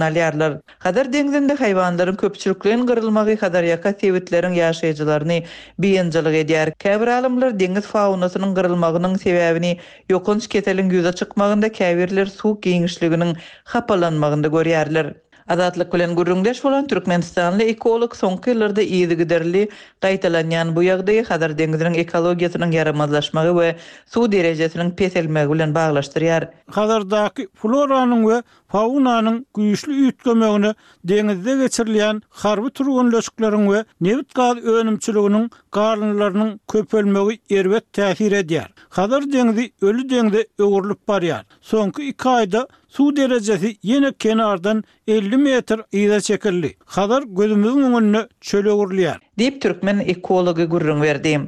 Alýarlar. Hazar deňzinde haýwanlaryň köpçülikleýin gyrylmagy Hazarýaka sebitleriň ýaşaýjylaryny biynjalyk edýär. Käbir alymlar deňiz faunasynyň gyrylmagynyň sebäbini ýokanç keseliň ýüze çykmagynda, käbirleri suw giňişliginiň hapalanmagynda görýärler. Azatlyk bilen gürrüňdeş bolan türkmenistanly ekolog soňky ýyllarda yzygiderli gaýtalanýan bu ýagdaýy Hazar deňziniň ekologiýasynyň ýaramazlaşmagy we suw derejesiniň peselmegi bilen baglaşdyrýar. Hazardaky floranyň we faunanyň güýçli üýtgemegine deňizde geçirilýän harby türgenleşikleriň we nebit-gaz önümçiliginiň galyndylarynyň köpelmegi erbet täsir edýär. Hazar deňzi öli deňze öwrülip barýar. Soňky iki aýda suw derejesi ýene kenardan 50 metr yza çekildi. Hazar gözümiziň öňünde çöle öwrülýär. Diýip, türkmen ekology gürrüň berdi.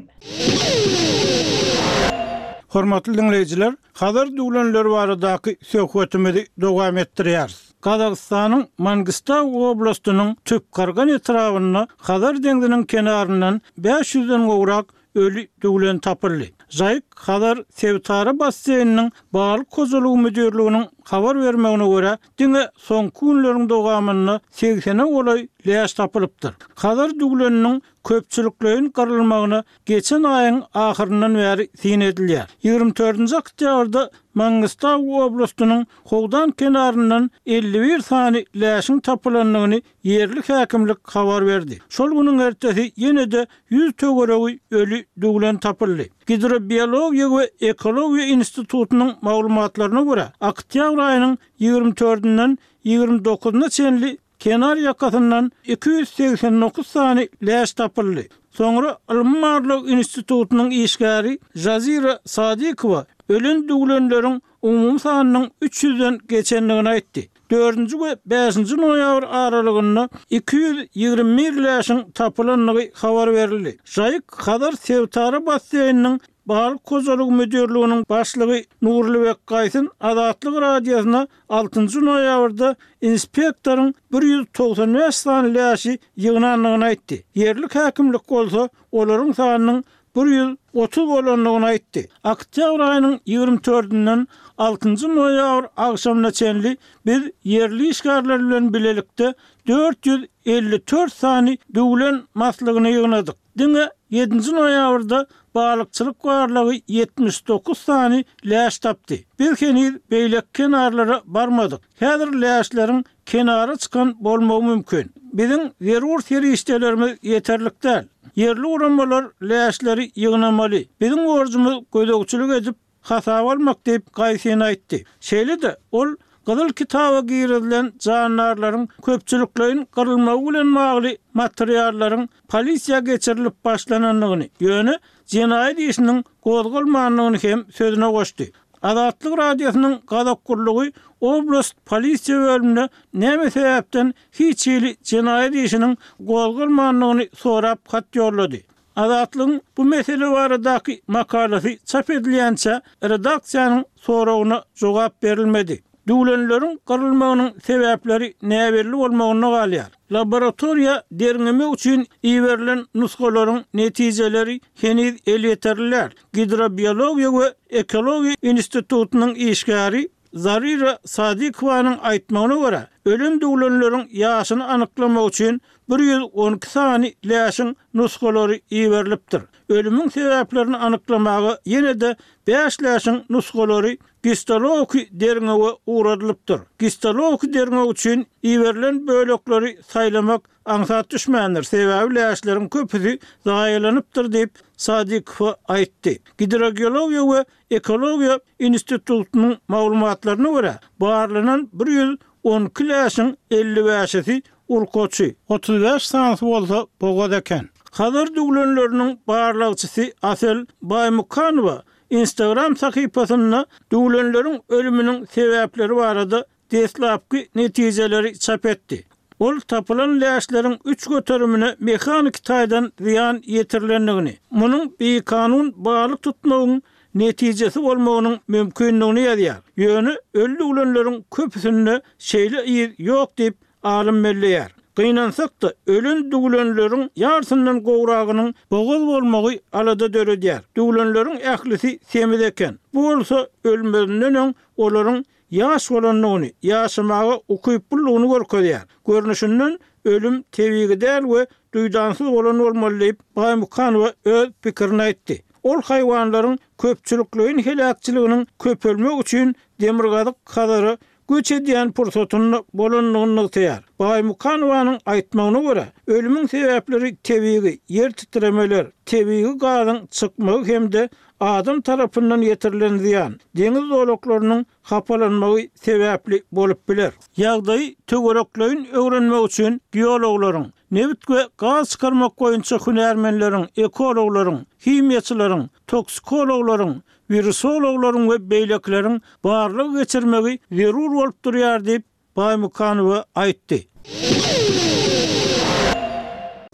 Hormatly diňleýjiler, Hazar düwlenleri baradaky söhbetimizi dowam etdirýäris. Gazagystanyň Mangistau oblastynyň Tüpkargan etrabynda Hazar deňziniň kenaryndan bäş ýüzden gowrak öli düwlen tapyldy. Žaýyk Hazar sebitara basseýniniň balyk hojalygy müdirliginiň habar bermegine görä, diňe soňky günleriň dowamynda segsene golaý läş tapylypdyr. Hazar düwleniniň köpçülikleýin gyrylmagyna geçen aýyň ahyryndan bäri syn edilýär. Ýigrimi dördünji oktýabrda Mangistau oblastynyň Howdan kenaryndan 51 sany läşiň tapylandygyny ýerli häkimlik habar berdi. Şol günüň ertesi ýene-de ýüz töweregi öli düwlen tapyldy. Gidrobiologiýa we ekologiýa institutynyň maglumatlaryna görä, oktýabr aýynyň ýigrimi dördünden ýigrimi dokuzyna çenli Kenar ýakasyndan 289 sany läş tapyldy. Soňra Ylmy-barlag institutynyň işgäri Jazira Sadykowa ölen düwlenleriň umumy sanynyň üç ýüzden geçendigini aýtdy. Dördünji we bäşinji noýabr aralygynda 221 läşiň tapylandygy habar berildi. Žaýyk Hazar sebitara basseýniniň Balyk hojalygy müdirliginiň başlygy Nurlybek Gaýsyn Azatlyk Radiosyna altynjy noýabrda inspektoryň 195 sany läşi ýygnandygyny aýtdy. Ýerli häkimlik bolsa olaryň sanynyň 130 bolandygyny aýtdy. Oktýabr aýynyň ýigrimi dördünden altynjy noýabr agşamyna çenli biz ýerli işgärler bilen bilelikde 454 sany düwlen maslygyny ýygnadyk. Diňe ýedinji noýabrda balykçylyk barlagy 79 sany läş tapdy. Biz heniz beýleki kenarlara barmadyk. Häzir läşleriň kenara çykan bolmagy mümkin. Biziň zerur serişdelerimiz ýeterlik däl. Ýerli guramalar läşleri ýygnamaly. Biziň borjumyz gözegçilik edip, hasaba almak diýip, Gaýsin aýtdy. Şeýle-de, ol Gyzyl kitaba girizilen jandarlaryň köpçülikleýin gyrylmagy bilen bagly materiallaryň polisiýa geçirilip başlanandygyny, ýöne jenaýat işiniň gozgalmandygyny hem sözüne goşdy. Azatlyk Radiosynyň gazak gullugy oblast polisiýa bölümine näme sebäpden hiç hili jenaýat işiniň gozgalmandygyny sorap hat ýollady. Azatlygyň bu mesele baradaky makalasy çap edilýänçä redaksiýanyň soragyna jogap berilmedi. Düwlenleriň gyrylmagynyň sebäpleri näbelli bolmagynda galýar. Laboratoriýa derňemek üçin iberilen nusgalaryň netijeleri heniz elýeterli däl. Gidrobiologiýa we ekologiýa institutynyň işgäri Zarira Sadykowanyň aýtmagyna görä, ölen düwlenleriň ýaşyny anyklamak üçin 112 sany läşiň nusgalary iberilipdir. Ölümiň sebäplerini anyklamaga ýene-de bäş läşiň nusgalary gistologiki derňewe ugradylypdyr. Gistologiki derňew üçin iberilen bölekleri saýlamak aňsat düşmändir, sebäbi läşleriň köpüsi zaýalanypdyr diýip, Sadykowa aýtdy. Gidrogeologiýa we Ekologiýa institutynyň maglumatlaryna görä, barlanan 112 läşiň 55-si urkaçy, 35 sanysy bolsa bogaz eken. Hazar düwlenleriniň barlagçysy Asel Baýmukanowa Instagram sahypasynda düwlenleriň ölüminiň sebäpleri barada deslapky netijeleri çap etdi. Ol tapylan läşleriň üç göterimine mehaniki taýdan zyýan ýetirilendigini, munuň bikanun balyk tutmagyň netijesi bolmagynyň mümkindigini ýazýar. Ýöne öli düwlenleriň köpüsinde şeýle yz ýok diýip, alym belleýär. Gynansak-da, ölen düwlenleriň ýarsyndan gowragynyň bogaz bolmagy alada döredýär. Düwlenleriň ählisi semiz eken. Bu bolsa ölmezinden öň olaryň. ýaş bolandygyny, ýaşamaga ukyplydygyny görkezýär. Görnüşinden, ölüm tebigy däl we duýdansyz bolan bolmaly diýip, Baýmukanowa öz pikirini aýtdy. Ol haýwanlaryň köpçülikleýin heläkçiliginiň köpelmegi üçin Demirgazyk Hazara göç edýän pursatynda bolandygyny nygtaýar. Baýmukanowanyň aýtmagyna görä, ölümiň sebäpleri tebigy ýer titremeler, tebigy gazyň çykmagy hem-de adam tarapyndan ýetirilen zyýan, deňiz zolaklarynyň hapalanmagy sebäpli bolup biler. Ýagdaýy töwerekleýin öwrenmek üçin geologlaryň, nebit we gaz çykarmak boýunça hünärmenleriň, ekologlaryň, himiýaçylaryň, toksikologlaryň, wirusologlaryň we beýlekileriň barlag geçirmegi zerur bolup durýar diýip, Baýmukanowa aýtdy.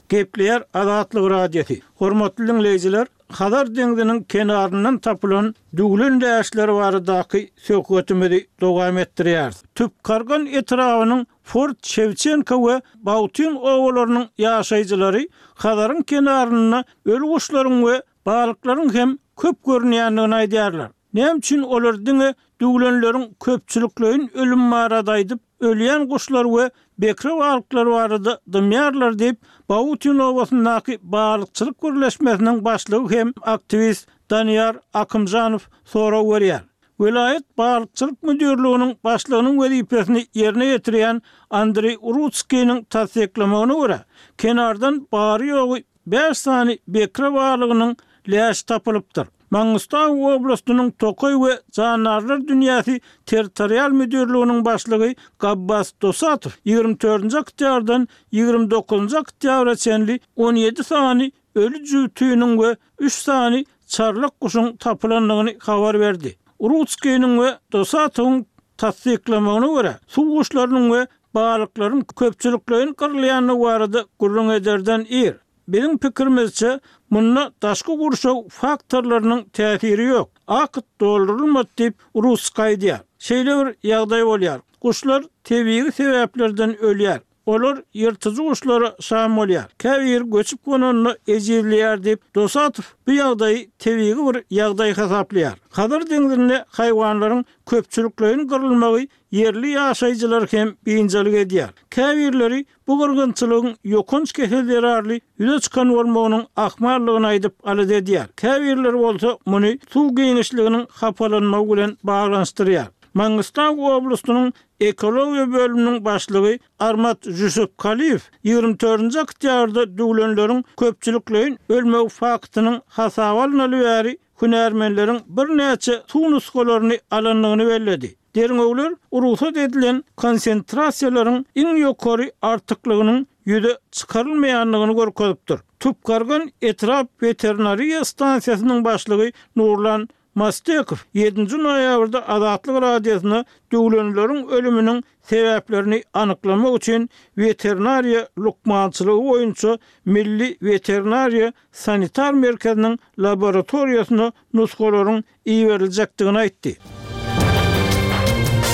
Gepleýär Azatlyk Radiosy. Hormatly diňleýjiler, Hazar deňziniň kenaryndan tapylan düwlen läşleri baradaky söhbetimizi dowam etdirýäris. Tüpkargan etrabynyň Fort Şewçenko we Bautin obalarynyň ýaşaýjylary Hazaryň kenarynda öli guşlaryň we balyklaryň hem köp görünýändigini aýdýarlar. Näme üçin olar diňe düwlenleriň köpçülikleýin ölümi barada aýdyp, ölýän guşlar we bekre balyklar barada dymýarlar diýip, Bautin obasyndaky balykçylyk birleşmesiniň başlygy hem aktiwist Daniýar Akymjanow sorag berýär. Welaýat balykçylyk müdirliginiň başlygynyň wezipesini ýerine ýetirýän Andreý Urutskiniň tassyklamagyna görä, kenardan bary-ýogy Bäş sany bekre balygynyň läşi tapylypdyr. Mangystau oblastynyň Tokaý we jandarlar dünýäsi territorial müdirliginiň başlygy Gabbas Dosatow 24-nji oktýabrdan 29-njy oktýabra çenli 17 sany öli jübtüniň we üç sany çarlak guşuň tapylandygyny habar berdi. Urutskiniň we Dosatowyň tassyklamagyna görä, suw guşlarynyň we balyklaryň köpçülikleýin gyrylýandygy barada gürrüň ederden ir. Biziň pikirimizçe, munda daşky gurşaw faktorlarynyň täsiri ýok. Akt doldurylmady diýip, Rusk aýdýar. Şeýle bir ýagdaý bolýar. Guşlar tebigy sebäplerden ölýär. Olar ýyrtyjy guşlara şam bolýar. Käbiri göçüp gonanda ejizleýär diýip, Dosatow bu ýagdaýy tebigy bir ýagdaý hasaplaýar. Hazar deňzinde haýwanlaryň köpçülikleýin gyrylmagy Ýerli ýaşaýjylar hem biynjalyk edýär. Käbirleri bu gyrgynçylygyň ýokanç kesel zerarly ýüze çykan bolmagynyň ahmallygyny aýdyp alada edýär. Käbirleri bolsa muny suw giňişliginiň hapalanmagy bilen baglanyşdyrýar. Mangystau oblastynyň ekologiýa bölüminiň başlygy Armat Žusupkaliýew 24-nji oktýabrda düwlenleriň köpçülikleýin ölmegi faktynyň hasaba alnaly bäri hünärmenleriň birnäçe suw nusgalaryny alandygyny belledi. Derňewler rugsat edilen konsentrasiýalaryň iň ýokary artyklygynyň ýüze çykarylmaýandygyny görkezipdir. Tupkargan etrap weterinariýa stansiýasynyň başlygy Nurlan Mastekow ýedinji noýabrda Azatlyk Radiosyna düwlenleriň ölüminiň sebäplerini anyklamak üçin weterinariýa lukmançylygy boýunça milli weterinariýa sanitar merkeziniň laboratoriýasyna nusgalaryň iberiljekdigini aýtdy.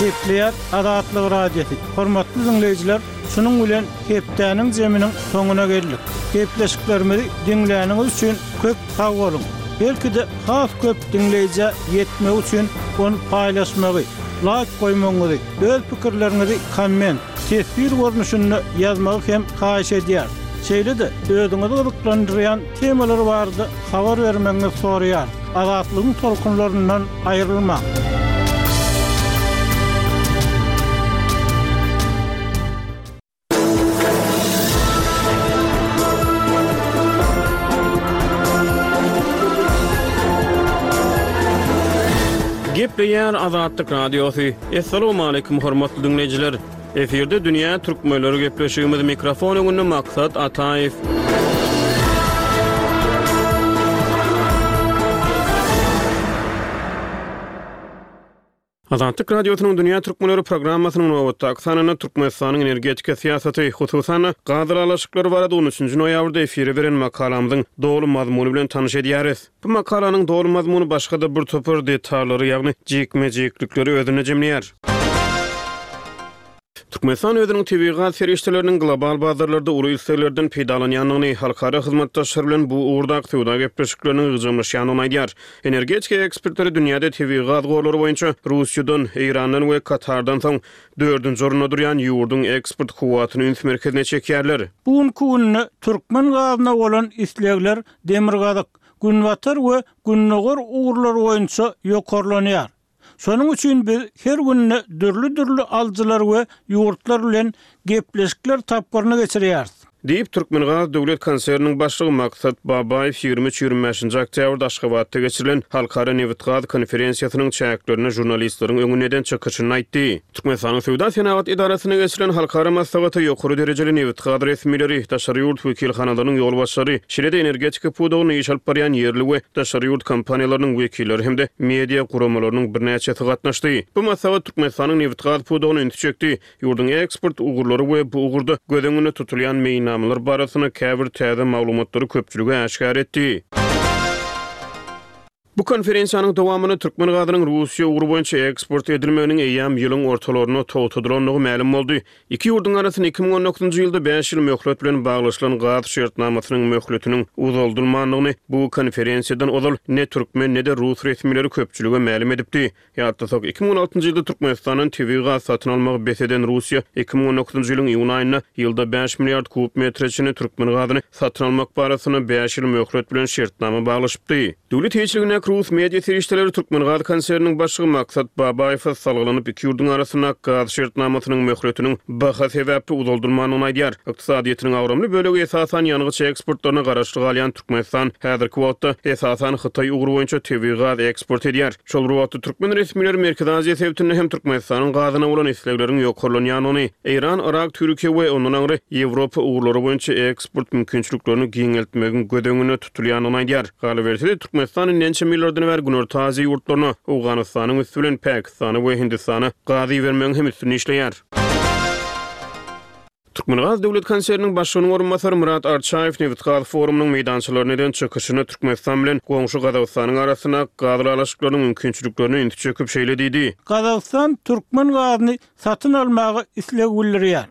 Gepleýär Azatlyk Radiosy. Hormatly diňleýjiler, şunuň bilen hepdäniň jeminiň soňuna geldik. Gepleşiklerimizi diňläniňiz üçin köp sag boluň! Belki-de has köp diňleýjä ýetmegi üçin ony paýlaşmagy, laýk goýmagyňyzy, öz pikirleriňizi komment, teswir görnüşinde ýazmagy hem haýyş edýäris. Şeýle-de özüňizi gyzyklandyrýan temalar barada habar bermegiňizi soraýarys. Azatlygyň tolkunlaryndan aýrylmaň! Gepleýär Azatlyk Radiosy. Assalamualaikum hormatly diňleýjiler. Efirde dünýä türkmenleri gepleşigimiz mikrofon öňünde Maksat Ataýew. Azatlyk Radiosynyň Dünýä Türkmenleri programmasynyň nobatdaky sanynda Türkmenistanyň energetika syýasaty, hususan-da, gaz ylalaşyklary barada on üçünji noýabrda efire beren makalamyzyň doly mazmuny bilen tanyş edýäris. Bu makalanyň doly mazmuny başga-da bir topar detallary, ýagny jikme-jiklikleri özünde jemleýär. Türkmenistan özüniň tebigy gaz serişdeleriniň global bazarlarda uly isleglerden peýdalanýandygyny, halkara hyzmatdaşlar bilen bu ugurdaky söwda gepleşikleriniň ygjaymlaşýandygyny aýdýar. Energetika ekspertleri dünýäde tebigy gaz gorlary boýunça Russiýadan, Eýrandan we Katardan soň dördünji orunda durýan ýurduň eksport kuwwatyny üns merkezine çekýärler. Bu günki günde türkmen gazyna bolan islegler demirgazyk, günbatar we gündogar ugurlar boýunça ýokarlanýar. Şonuň üçin biz her günde dürli-dürli alyjylar we ýurtlar bilen gepleşikler tapgyryny geçirýäris. Diýip, Türkmengaz döwlet konserniniň başlygy Maksat Babaýew 23, 25-nji oktýabrda Aşgabatda geçirilen Halkara nebitgaz konferensiýasynyň çäklerinde žurnalistleriň öňünde eden çykyşynda aýtdy. Türkmenistanyň Söwda-senagat edarasynda geçirilen halkara maslahata ýokary derejeli nebitgaz resmileri, daşary ýurt wekilhanalarynyň ýolbaşçylary, şeýle-de energetika pudagynda iş alyp barýan ýerli we daşary ýurt kompaniýalarynyň wekilleri hem-de media guramalarynyň birnäçesi gatnaşdy. Bu maslahat Türkmenistanyň nebitgaz pudagyna ünsi çekdi, ýurduň eksport ugurlary we bu ugurda göz öňünde tutulýan meýilnamalar barasynda käbir täze maglumatlary köpçülige äşgär etdi. Bu konferensiýanyň dowamynda türkmen gazynyň Russiýa ugry boýunça eksport edilmeginiň eýýäm ýylyň ortalarynda togtadylandygy mälim boldy. Iki ýurduň arasynda 2019-njy ýylda bäş ýyl möhlet bilen baglaşylan gaz şertnamasynyň möhletiniň uzaldylmandygyny bu konferensiýadan ozal ne türkmen, ne-de rus resmileri köpçülige mälim edipdi. Ýatlasak, 2016-njy ýylda Türkmenistandan tebigy gaz satyn almagy bes eden Russiýa 2019-njy ýylyň iýun aýynda ýylda bäş milliard kub metre çenli türkmen gazyny satyn almak barasynda bäş ýyl möhlet bilen şertnama baglaşypdy. Döwlet eýeçiligindäki rus media serişdeleri Türkmengaz konserniniň başlygy Maksat Babaýewe salgylanyp, iki ýurduň arasyndaky gaz şertnamasynyň möhletiniň baha sebäpli uzaldylmandygyny aýdýar. Ykdysadyýetiniň agramly bölegi esasan ýangyç eksportlaryna garaşly galýan Türkmenistan häzirki wagtda esasan Hytaý ugry boýunça tebigy gaz eksport edýär. Şol bir wagtda, türkmen resmileri Merkezi Aziýa sebitinde hem Türkmenistanyň gazyna bolan islegleriň ýokarlanýandygyny, Eýran, Yrak, Türkiýe we ondan aňry Ýewropa ugurlary boýunça eksport mümkinçiliklerini giňeltmegiň göz öňünde tutulýandygyny aýdýar. Galyberse-de, Türkmenistan indi ençeme ýyllardan bäri Günorta Aziýa ýurtlaryna, Owganystanyň üsti bilen Pakistana we Hindistana gaz ibermegiň hem üstünde işleýär. Türkmengaz döwlet konserniniň başlygynyň orunbasary Myrat Arçaýew nebitgaz forumynyň meýdançalarynda eden çykyşynda Türkmenistan bilen goňşy Gazagystanyň arasyndaky gaz ylalaşyklarynyň mümkinçiliklerine ünsi çekip şeýle diýdi. Gazagystan türkmen gazyny satyn almaga isleg bildirýär.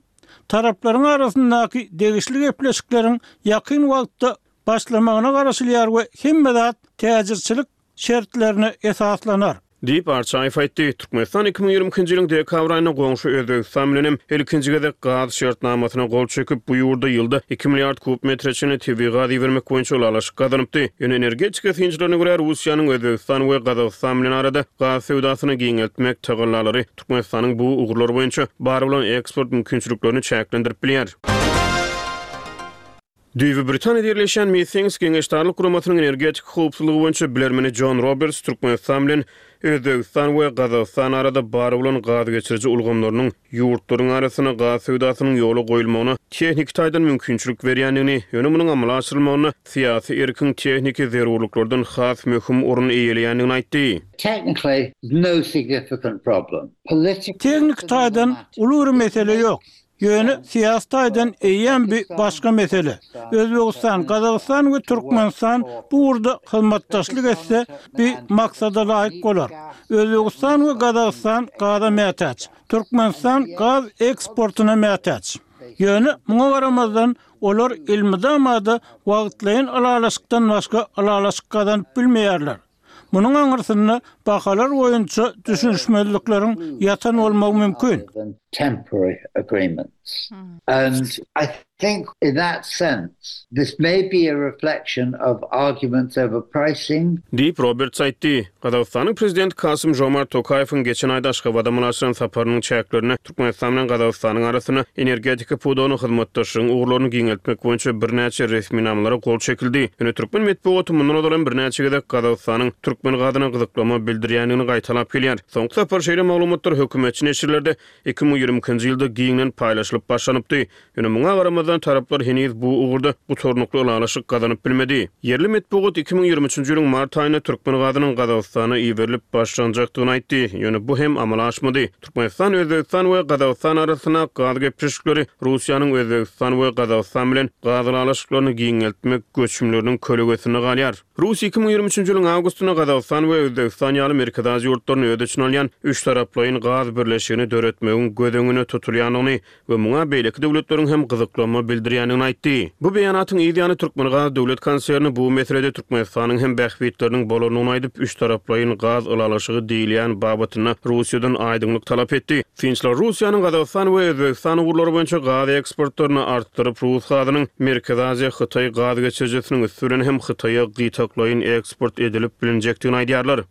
Taraplaryň arasyndaky degişli gepleşikleriň ýakyn wagtda başlamagyna garaşylýar we hemme zat täjirçilik şertlerine esaslanar. Diýip, Arçaýew aýtdy. Türkmenistan 2022-nji ýylyň dekabr aýynda goňşy Özbegistan bilen hem ilkinji gezek gaz şertnamasyna gol çekip, bu ýurda ýylda iki milliard kub metre çenli tebigy gaz ibermek boýunça ylalaşyk gazanypdy. Ýöne energetika synçylaryna görä, Russiýanyň Özbegistan we Gazagystan bilen arada gaz söwdasyny giňeltmek tagallalary Türkmenistanyň bu ugurlar boýunça bar bolan eksport mümkinçiliklerini çäklendirip bilýär. Düýbi Britaniýada ýerleşýän Meetings geňeşdarlyk guramasynyň energetika howpsuzlygy boýunça bilermeni Jon Roberts Türkmenistan bilen Özbegistan we Gazagystan arada bar bolan gaz geçiriji ulgamlarynyň ýurtlaryň arasynda gaz söwdasynyň ýola goýulmagyna tehniki taýdan mümkinçilik berýändigini, ýöne munuň amala aşyrylmagynda syýasy erkiň tehniki zerurlyklardan has möhüm orun eýeleýändigini aýtdy. Technically, no significant problem. Politically, Tehniki taýdan uly bir mesele ýok. Ýöne syýasy taýdan eýýäm bi başga mesele. Özbegistan, Gazagystan we Türkmenistan bu ugurda hyzmatdaşlyk etse, bi maksada laýyk bolar. Özbegistan we Gazagystan gaza mätäç. Türkmenistan gaz eksportyna mätäç. Ýöne muňa garamazdan, olar elmydama-da wagtlaýyn ylalaşykdan başga ylalaşyk gazanyp bilmeýärler. Munuň aňyrsynda bahalar boýunça düşünişmezlikleriň ýatan bolmagy mümkin. Diýip, Roberts aýtdy. Gazagystanyň Prezidenti Kasym-Žomart Tokaýewiň geçen aýda Aşgabada amala aşyran saparynyň çäklerinde Türkmenistan bilen Gazagystanyň arasynda energetika pudagynda hyzmatdaşlygyň ugurlaryny giňeltmek boýunça birnäçe resminamalara gol çekildi. Ýöne türkmen metbugaty mundan ozal hem birnäçe gezek Gazagystanyň türkmen gazyna gyzyklama bildirýändigini gaýtalap gelýär. Soňky sapar şeýle maglumatlar hökümetçi neşirlerde 2022-nji ýylda giňden paýlaşylyp başlanypdy. Ýöne muňa garamazdan, taraplar heniz bu ugurda gutarnykly ylalaşyk gazanyp bilmedi. Ýerli metbugat 2023-nji ýylyň mart aýynda türkmen gazynyň Gazagystana iberilip başlanjakdygyny aýtdy, ýöne bu hem amala aşmady. Türkmenistan, Özbegistan we Gazagystan arasyndaky gaz gepleşikleri Russiýanyň Özbegistan we Gazagystan bilen gaz ylalaşyklaryny giňeltmek göçümleriniň kölegesinde galýar. Russiýa 2023-nji ýylyň awgustynda Gazagystan we Özbegistan ýaly. ýaly Merkezi Aziýa ýurtlaryny öz içine alýan üçtaraplaýyn gaz birleşigini döretmegiň göz öňünde tutulýandygyny we muňa beýleki döwletleriň hem gyzyklanma bildirýändigini aýtdy. Bu beýanatyň yz ýany Türkmengaz döwlet konserni bu meselede Türkmenistanyň hem bähbitleriniň bolandygyny aýdyp, üçtaraplaýyn gaz ylalaşygy diýilýän babatynda Russiýadan aýdyňlyk talap etdi. Synçylar Russiýanyň Gazagystan we Özbegistan ugurlary boýunça gaz eksportlaryny artdyryp, rus gazynyň Merkezi Aziýa-Hytaý gaz geçirijisiniň üsti bilen hem Hytaýa gytaklaýyn eksport edilip bilinjekdigini aýdýarlar.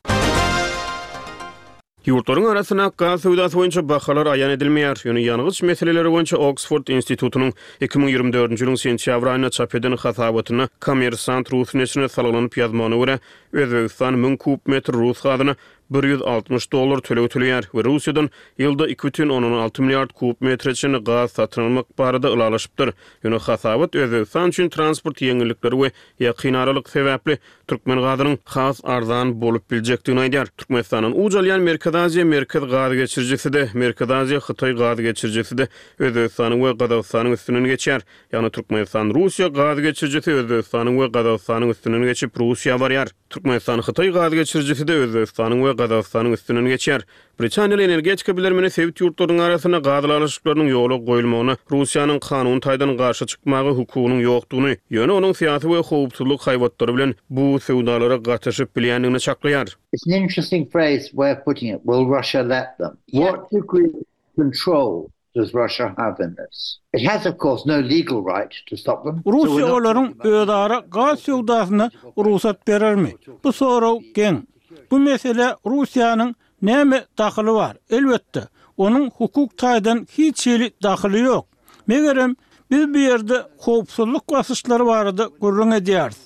Ýurtlaryň arasyndaky gaz söwdasy boýunça bahalar aýan edilmeýär, ýöne ýangyç meseleleri boýunça Oksford institutynyň 2024-nji ýylyň sentýabr aýynda çap eden hasabatynda Kommersant rus neşirine salgylanyp ýazmagyna görä, Özbegistan 1000 kub metr rus gazyna 160 dollar töleg töleýär we Russiýadan ýylda 2,6 milliard kub metre çenli gaz satyn almak barada ylalaşypdyr. Ýöne hasabat Özbegistan üçin transport ýeňillikleri we ýakyn aralyk sebäpli türkmen gazynyň has arzan bolup biljekdigini aýdýar. Türkmenistandan uç alýan Merkezi Aziýa Merkez gaz geçirijisi-de, Merkezi Aziýa Hytaý gaz geçirijisi-de Özbegistanyň we Gazagystanyň üstünden geçýär. Ýagny Türkmenistan Russiýa gaz geçirijisi Özbegistanyň we Gazagystanyň üstünden geçip Russiýa barýar. Türkmenistan Hytaý gaz geçirijisi-de Özbegistanyň we Gazagystanyň üstünden geçýär. Britaniýaly energetika bilermeni sebit ýurtlarynyň arasynda gaz ylalaşyklarynyň ýola goýulmagyna Russiýanyň kanuny taýdan garşy çykmaga hukugynyň ýokdugyny, ýöne onuň syýasy we howpsuzlyk haýbatlary bilen bu söwdalara gatyşyp bilýändigini çaklaýar. It's an interesting phrase, way of putting it, will Russia let them? What degree of control does Russia have in this? It has of course no legal right to stop them. Russiýa olaryň özara gaz söwdasyna rugsat berermi? Bu sorag geň. Bu meselä Russiýanyň näme dahyly bar? Elbetde, onuň hukuk taýdan hiç hili dahyly ýok. Megerem, biz bu ýerde howpsuzlyk basyşlary barada gürrüň edýäris.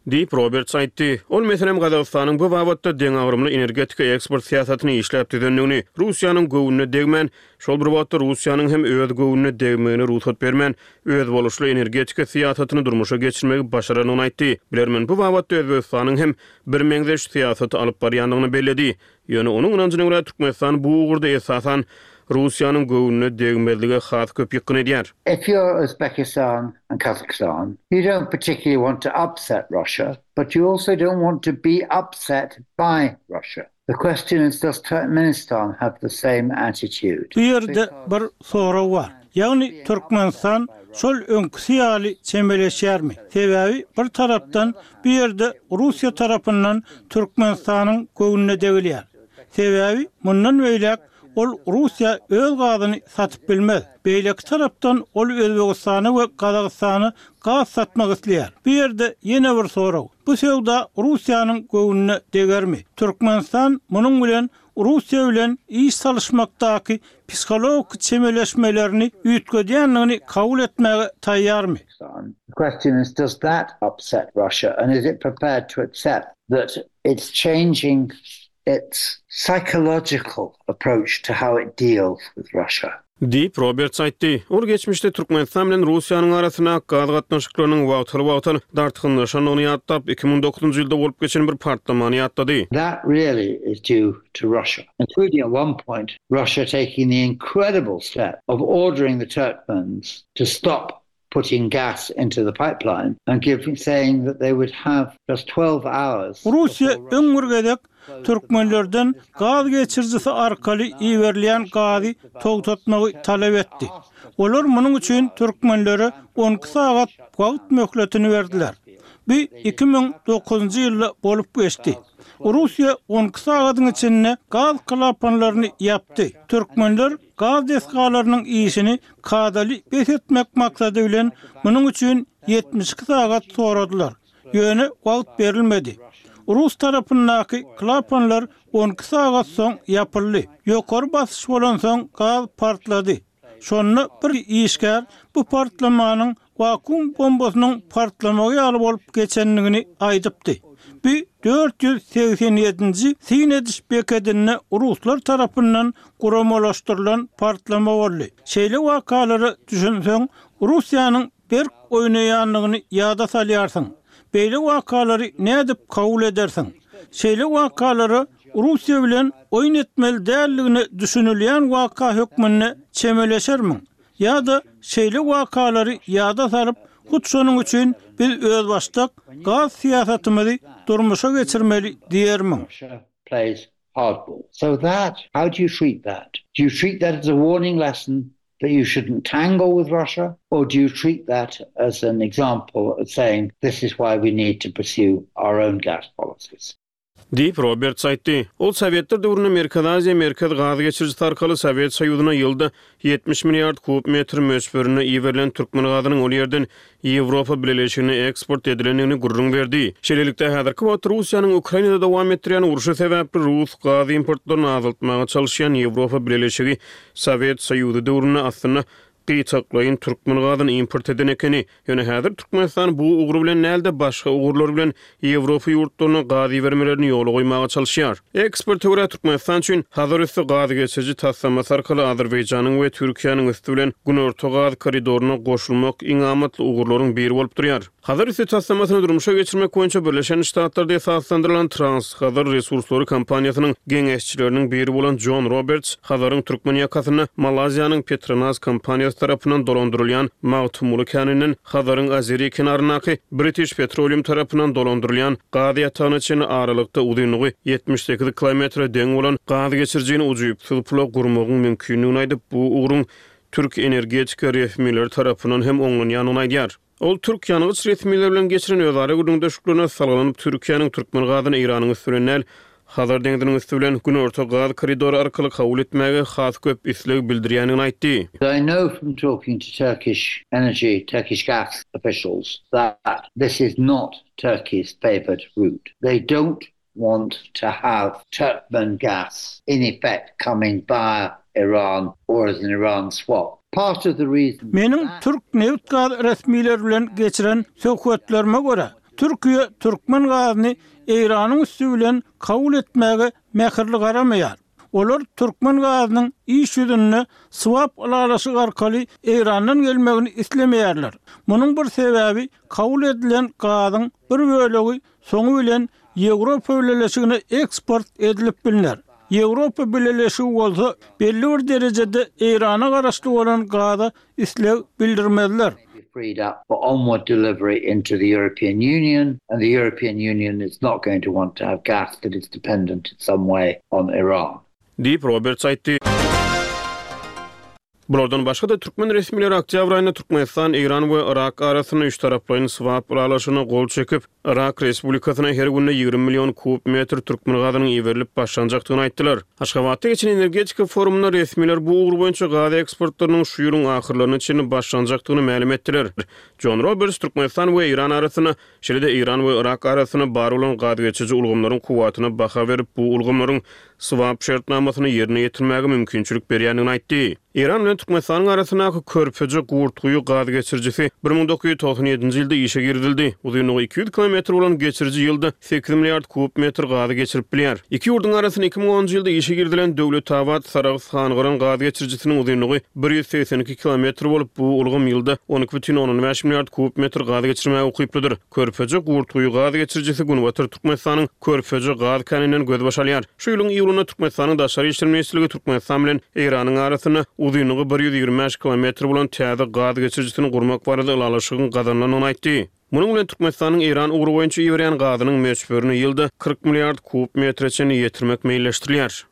Diýip, Roberts aýtdy. Ol, meselem, Gazagystanyň bu babatda deňagramly energetika eksport syýasatyny işläp düzendigini, Russiýanyň göwnüne degmän, şol bir wagtda Russiýanyň hem öz göwnüne degmegine rugsat bermän, özboluşly energetika syýasatyny durmuşa geçirmegi başarandygyny aýtdy. Bilermen bu babatda Özbegistanyň hem birmeňzeş syýasaty alyp barýandygyny belledi. Ýöne onuň ynanjyna görä, Türkmenistan bu ugurda esasan Russiýanyň göwnüne degmezlige has köp ýykgyn edýär. If you're Uzbekistan and Kazakhstan, you don't particularly want to upset Russia, but you also don't want to be upset by Russia. The question is, does Turkmenistan have the same attitude? Bu ýerde bir sorag bar. Ýagny Türkmenistan şol öňküsi ýaly çemeleşýärmi? Sebäbi bir tarapdan bu ýerde Russiýa tarapyndan Türkmenistanyň göwnüne degilýär. Sebäbi mundan beýläk ol Russiýa öz gazyny satyp bilmez. Beýleki tarapdan ol Özbegistana we Gazagystana gaz satmak isleýär. Bu ýerde ýene bir sorag, bu söwda Russiýanyň göwnüne degermi? Türkmenistan munuň bilen Russiýa bilen iş salyşmakdaky psihologik çemeleşmelerini üýtgedýändigini kabul etmäge taýýarmy? The question is does that upset Russia and is it prepared to accept that it's changing its psychological approach to how it deals with Russia? Diýip, Roberts aýtdy. Ol geçmişde Türkmenistan bilen Russiýanyň arasyndaky gaz gatnaşyklarynyň wagtal-wagtal dartgynlaşandygyny ýatlap, 2009-njy ýylda bolup geçen bir partlamany ýatlady. That really is due to Russia, including at one point Russia taking the incredible step of ordering the Turkmens to stop putting gas into the pipeline and giving saying that they would have just 12 hours. Russiýa öň bir gezek türkmenlerden gaz geçirijisi arkaly iberilýän gazy togtatmagy talap etdi. Olar munuň üçin türkmenlere 12 sagat wagt möhletini berdiler. Bu 2009-njy ýylda bolup geçdi. Russiýa 12 sagadyň içinde gaz klapanlaryny ýapdy. Türkmenler gaz desgalarynyň işini kadaly bes etmek maksady bilen munuň üçin 72 sagat soradylar. Ýöne wagt berilmedi. Rus tarapyndaky klapanlar 12 sagat soň ýapyldy. Ýokary basyş bolansoň gaz partlady. Şonda bir işgär bu partlamanyň wakuum bombasynyň partlamagy ýaly bolup geçendigini aýdypdy. Bu 487-nji syn ediş bekedinde ruslar tarapyndan guramalaşdyrylan partlama boldy. Şeýle wakalara düşünseň, Russiýanyň berk oýnaýandygyny ýada salýarsyň. Beýle wakalary nädip kabul edersiň? Şeýle wakalara Russiýa bilen oýun etmeli däldigine düşünilýän waka hökmünde çemeleşermiň? Ýa-da şeýle wakalary ýada salyp, Hut şonuň üçin biz özbaşdak gaz syýasatymyzy durmuşa geçirmeli diýermiň? Hardball. So that, how do you treat that? Do you treat that as a warning lesson that you shouldn't tangle with Russia? Or do you treat that as an example of saying this is why we need to pursue our own gas policies? Diýip, Roberts aýtdy. Ol sowetler döwründe Merkezi Aziýa Merkez gaz geçirijisi arkaly Sowet Soýuzyna ýylda 70 milliard kub metr möçberinde iberilen türkmen gazynyň ol ýerden Ýewropa Bileleşigine eksport edilendigini gürrüň berdi. Şeýlelikde, häzirki wagtda Russiýanyň Ukrainada dowam etdirýän urşy sebäpli rus gaz importlaryny azaltmaga çalyşýan Ýewropa Bileleşigi Sowet Soýuzy döwründe aslynda gytaklaýyn türkmen gazyny import eden ekeni. Ýöne häzir Türkmenistan bu ugry bilen däl-de, başga ugurlar bilen Ýewropa ýurtlaryna gaz ibermelerini ýola goýmaga çalyşýar. Eksperte görä, Türkmenistan üçin Hazar üsti gaz geçiriji taslamasy arkaly Azerbaýjanyň we Türkiýäniň üsti bilen Günorta gaz koridoryna goşulmak iň amatly ugurlaryň biri bolup durýar. Hazar üsti taslamasyny durmuşa geçirmek boýunça Birleşen Ştatlarda esaslandyrylan Trans-Hazar resurslary kompaniýasynyň geňeşçileriniň biri bolan Jon Roberts Hazaryň türkmen ýakasynda Malaýziýanyň Petronas kompaniýasy tarapyndan dolandyrylýan Magtymguly käninden Hazaryň azeri kenaryndaky British Petroleum tarapyndan dolandyrylýan gaz ýatagyna çenli aralykda uzynlygy 78 kilometre deň bolan gaz geçirijini ujypsyz pula gurmagyň mümkindigini aýdyp, bu ugruň türk energetika resmileri tarapyndan hem oňlanýandygyny aýdýar. Ol türk ýangyç resmileri bilen geçiren özara gürrüňdeşliklerine salgylanyp, Türkiýäniň türkmen gazyny Eýranyň üsti bilen däl, Hazar deňziniň üsti bilen Günorta gaz koridory arkaly kabul etmäge has köp isleg bildirýändigini aýtdy. I know from talking to Turkish energy, Turkish gas officials that this is not Turkey's favoured route. They don't want to have Turkmen gas in effect coming via Iran or as an Iran swap. Part of the reason for Meniň that. türk nebit-gaz resmileri bilen geçiren söhbetlerime görä, Türkiýe türkmen gazyny Eýranyň üsti bilen kabul etmäge mähirli garamaýar. Olar türkmen gazynyň iş ýüzünde swap ylalaşyk arkaly Eýrandan gelmegini islemeýärler. Munuň bir sebäbi kabul edilen gazyň bir bölegi soňy bilen Ýewropa Bileleşigine eksport edilip bilner. Ýewropa Bileleşigi bolsa belli bir derejede Eýrana garaşly bolan gaza isleg bildirmezler. Diýip, Roberts aýtdy. Bulardan başga-da, türkmen resmileri oktýabr aýynda Türkmenistan, Eýran we Yrak arasynda üçtaraplaýyn swap ylalaşygyna gol çekip, Yrak Respublikasyna her günde 20 million kub metr türkmen gazynyň iberilip başlanjakdygyny aýtdylar. Aşgabatda geçen energetika forumynda resmiler bu ugur boýunça gaz eksportlarynyň şu ýylyň ahyrlaryna çenli başlanjakdygyny mälim etdiler. Jon Roberts Türkmenistan we Eýran arasynda Şeýle-de Eýran we Yrak arasynda bar bolan gazgeçiriji ulgamlaryň kuwwatyna baha berip, bu ulgamlaryň swap şertnamasyny ýerine ýetirmäge mümkinçilik berýändigini aýtdy. Eýran bilen Türkmenistanyň arasyndaky Körpeje, Gurtguýy gazgeçirijisi 1997-nji ýylda işe girizildi. Uzynlygy 200 kilometr bolan geçiriji ýylda sekiz milliard kub metr gazy geçirip bilýär. Iki ýurduň arasynda 2010-njy ýylda işe girizilen Döwletabat, Sarahs, Hangyran gaz geçirijisiniň uzynlygy 182 kilometr bolup, bu ulgam ýylda 12,5 milliard kub metr gaz geçirmäge ukyplydyr. Körpeje, Gurtguýy gaz geçirijisi Günbatar Türkmenistanyň Körpeje gaz käninden gözbaş alýar. Şu ýylyň iýulynda Türkmenistanyň Daşary işler ministrligi Türkmenistan bilen Eýranyň arasynda uzynlygy 125 kilometr bolan täze gaz geçirijisini gurmak barada ylalaşygyň gazanylandygyny aýtdy. Munuň bilen Türkmenistanyň Eýran ugry boýunça iberýän gazynyň möçberini ýylda 40 milliard kub metre çenli ýetirmek meýilleşdirilýär.